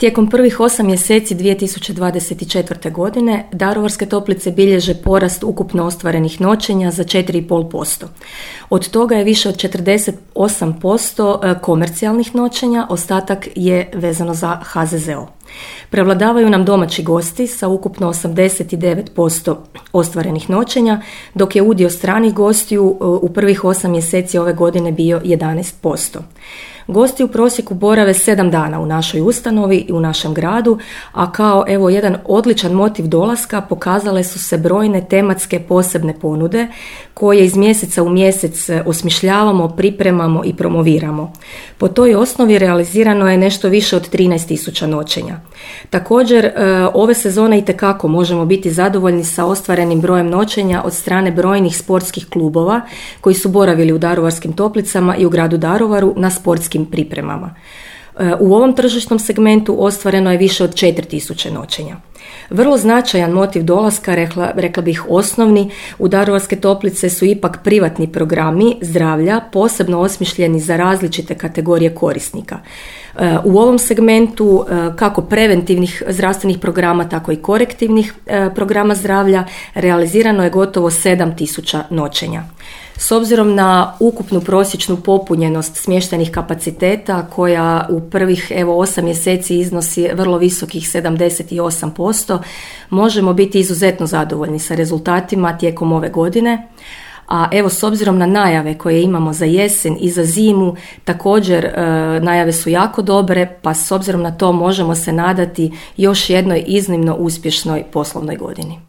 Tijekom prvih 8 mjeseci 2024. godine Daruvarske toplice bilježe porast ukupno ostvarenih noćenja za 4,5%. Od toga je više od 48% komercijalnih noćenja, ostatak je vezano za HZZO. Prevladavaju nam domaći gosti sa ukupno 89% ostvarenih noćenja, dok je udio stranih gostiju u prvih 8 mjeseci ove godine bio 11%. Gosti u prosjeku borave 7 dana u našoj ustanovi i u našem gradu, a kao jedan odličan motiv dolaska pokazale su se brojne tematske posebne ponude koje iz mjeseca u mjesec osmišljavamo, pripremamo i promoviramo. Po toj osnovi realizirano je nešto više od 13.000 noćenja. Također, ove sezone itekako možemo biti zadovoljni sa ostvarenim brojem noćenja od strane brojnih sportskih klubova koji su boravili u Daruvarskim toplicama i u gradu Daruvaru na sportskim pripremama. U ovom tržišnom segmentu ostvareno je više od 4.000 noćenja. Vrlo značajan motiv dolaska, rekla bih osnovni, u Daruvarske toplice su ipak privatni programi zdravlja, posebno osmišljeni za različite kategorije korisnika. U ovom segmentu kako preventivnih zdravstvenih programa, tako i korektivnih programa zdravlja realizirano je gotovo 7.000 noćenja. S obzirom na ukupnu prosječnu popunjenost smještajnih kapaciteta koja u prvih 8 mjeseci iznosi vrlo visokih 78%, možemo biti izuzetno zadovoljni sa rezultatima tijekom ove godine. A s obzirom na najave koje imamo za jesen i za zimu, također najave su jako dobre, pa s obzirom na to možemo se nadati još jednoj iznimno uspješnoj poslovnoj godini.